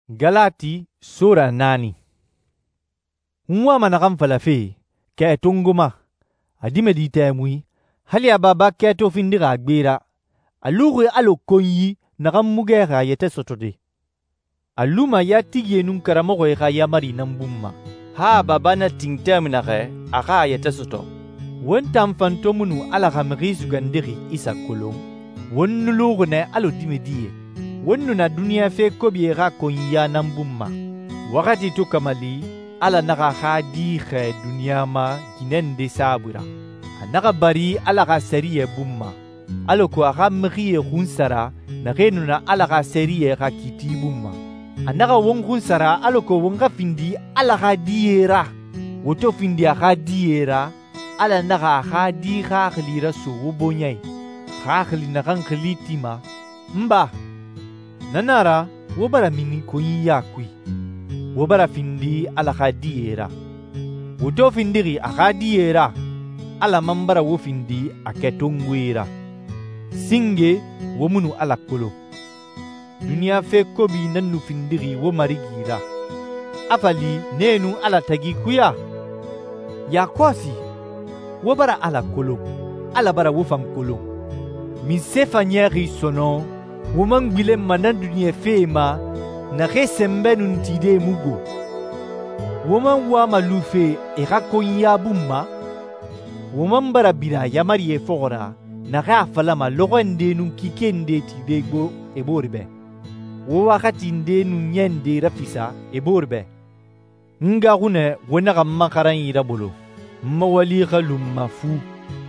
Galati sura 4. N wama naxan falafe, kɛ tongo ma, a dimɛdi tɛmui, hali a baba kɛto findixi a gbe ra. A luxi alɔ konyi naxan mu gɛxi a yɛtɛ sɔtɔde. A luma yatigie nun karamɔxɔe xa yaamari nan bun ma, han a baba na tin tɛmui naxɛ a xa a yɛtɛ sɔtɔ. Won tan fan to mu nu Ala xa Mixi Sugandixi Isa kolon, won nu luxi nɛ alɔ dimɛdie. Won nu na duniɲa fe kobie xa konyiya nan bun ma. Waxati to kamali, Ala naxa a xa Di xɛɛ duniɲa ma ginɛ nde saabui ra. A naxa bari Ala xa sɛriyɛ bun ma, alako a xa mixie xunsara naxee nu na Ala xa sɛriyɛ xa kiiti bun ma. A naxa won xunsara alako won xa findi Ala xa die ra. Wo to findi a xa die ra, Ala naxa a xa Di xaxili raso wo bɔɲɛ i, xaxili naxan xili tima. N ba, na nan a ra wo bara mini konyiya kui. Wo bara findi Ala xa die ra. Wo to findixi a xa die ra, Ala man bara wo findi a kɛtongoe ra. Singe wo mu nu Ala kolon. Duniɲa fe kobi nan nu findixi wo Marigi ra. A fa li nee nun Ala tagi kuya? Yakɔsi, wo bara Ala kolon, Ala bara wo fan kolon. Minse fa ɲɛxi sɔnɔn wo man gbilenma na duniɲa fee ma naxee sɛnbɛ nun tide mu go? Wo man wama lufe e xa konyiya bun ma? Wo man bara bira yaamarie fɔxɔ ra naxee a falama lɔxɔ nde nun kike nde tide gbo e boore bɛ, wo waxati nde nun ɲɛ nde rafisa e boore bɛ? N gaxunɛ wo naxa n ma xaranyi rabolo, n ma wali xa lu n ma fu.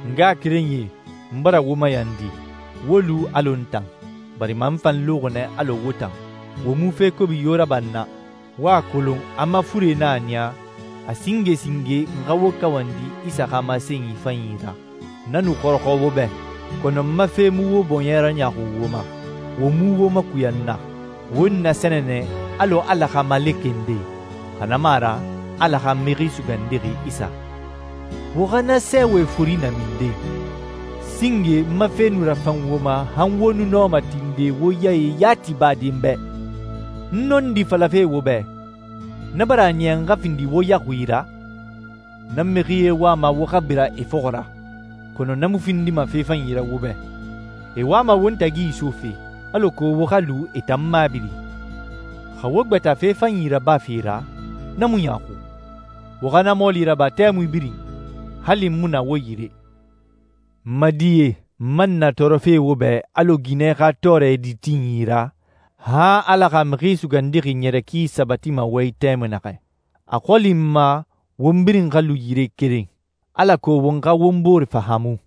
N ngaxakerenyie, n bara wo mayandi, wo lu alɔ n tan, barima n fan luxi nɛ alɔ wo tan. Wo mu fe kobi yo raban na. Wo a kolon a ma fure na a niya, a singe singe n xa wo kawandi Isa xa masenyi fanyi ra. Na nu xɔrɔxɔ wo bɛ, kɔnɔ n ma fe mu wo bɔɲɛ raɲaxu wo ma. Wo mu wo makuyan na. Wo n nasɛnɛnɛ alɔ Ala xa malekɛ nde, xa na mu a ra Ala xa Mixi Sugandixi Isa. Wo xa na sɛɛwɛ fori naminde. Singe n ma fe nu rafan wo ma han wo nu nɔma tinde wo yaye yati baden bɛ. N nɔndi falafe wo bɛ, na bara a niya n xa findi wo yaxui ra. Na mixie wama wo xa bira e fɔxɔ ra, kɔnɔ na mu findima fe fanyi ra wo bɛ. E wama won tagi isofe, alako wo xa lu e tan mabiri. Xa wo gbɛta fe fanyi rabafe ra, na mu ɲaxu. Wo xa na mɔɔli raba tɛmui birin, hali n mu na wo yire. N ma die, n man na tɔɔrɔfe wo bɛ alɔ ginɛ xa tɔɔrɛ di tinyi ra, han Ala xa Mixi Sugandixi ɲɛrɛki sabatima wo i tɛmui naxɛ. A xɔli n ma won birin xa lu yire keren, alako won xa won boore fahamu,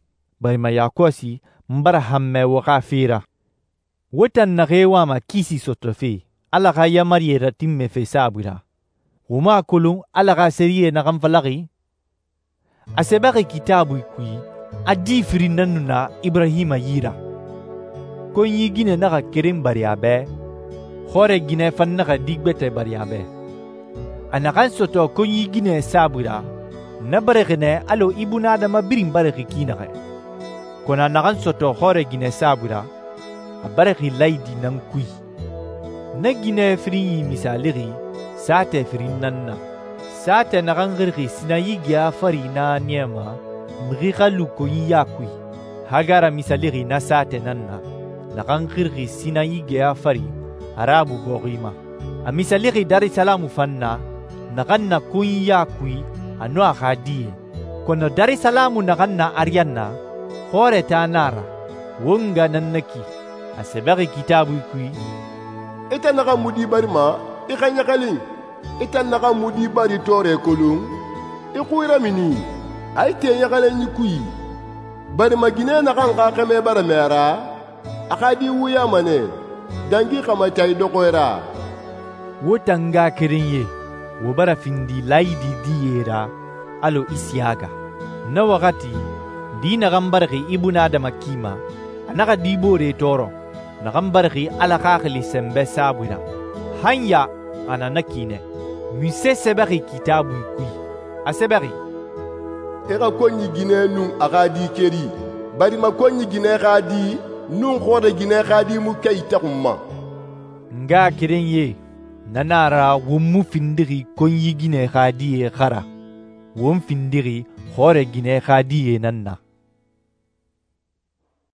barima yakɔsi n bara hanmɛ wo xa fe ra. Wo tan naxee wama kisi sɔtɔfe Ala xa yaamarie ratinmɛfe saabui ra. Wo mu a kolon Ala xa sɛriyɛ naxan falaxi? A sɛbɛxi Kitaabui kui a di firin nan nu na Ibrahima yi ra. Konyi ginɛ naxa keren bari a bɛ, xɔrɛ ginɛ fan naxa di gbɛtɛ bari a bɛ. A naxan sɔtɔ konyi ginɛ saabui ra, na barixi nɛ alɔ ibunadama birin barixi ki naxɛ. Kɔnɔ a naxan sɔtɔ xɔrɛ ginɛ saabui ra, a barixi layidi nan kui. Na ginɛ firinyi misalixi saatɛ firin nan na. Saatɛ naxan xirixi Sinayi geya fari na niyama, mixi xa lu konyiya kui. Hagara misalixi na saatɛ nan na, naxan xirixi Sinayi geya fari Arabu bɔxi ma. A misalixi Darisalamu fan na, naxan na konyiya kui a nun a xa die. Kɔnɔ Darisalamu naxan na ariyanna, xɔrɛ ta na a ra. Wo nga nan na ki, a sɛbɛxi Kitaabui kui: Ita naxan mu di barima i xa ɲaxalin, ita naxan mu di bari tɔɔrɛ kolon, i xui ramini, a i te ɲaxalenyi kui. Barima ginɛ naxan xa xɛmɛ bara mɛ a ra, a xa di wuyama nɛ, dangi xamata i dɔxɔɛ ra. Wo tan ngaxakerenyie, wo bara findi layidi diye ra alɔ Isiyaga. Na waxati, di naxan barixi ibunadama ki ma, a naxa di boore tɔɔrɔ, naxan barixi Ala xaxili sɛnbɛ saabui ra. Han ya a na na ki nɛ. Munse sɛbɛxi Kitaabui kui? A sɛbɛxi: I xa konyi ginɛ nun a xa di keri, barima konyi ginɛ xa di nun xɔrɛ ginɛ xa di mu kɛ itaxun ma. Nga kerenye, Na nan a ra won mu findixi konyi ginɛ xa die xa ra, won findixi xɔrɛ ginɛ xa die nan na.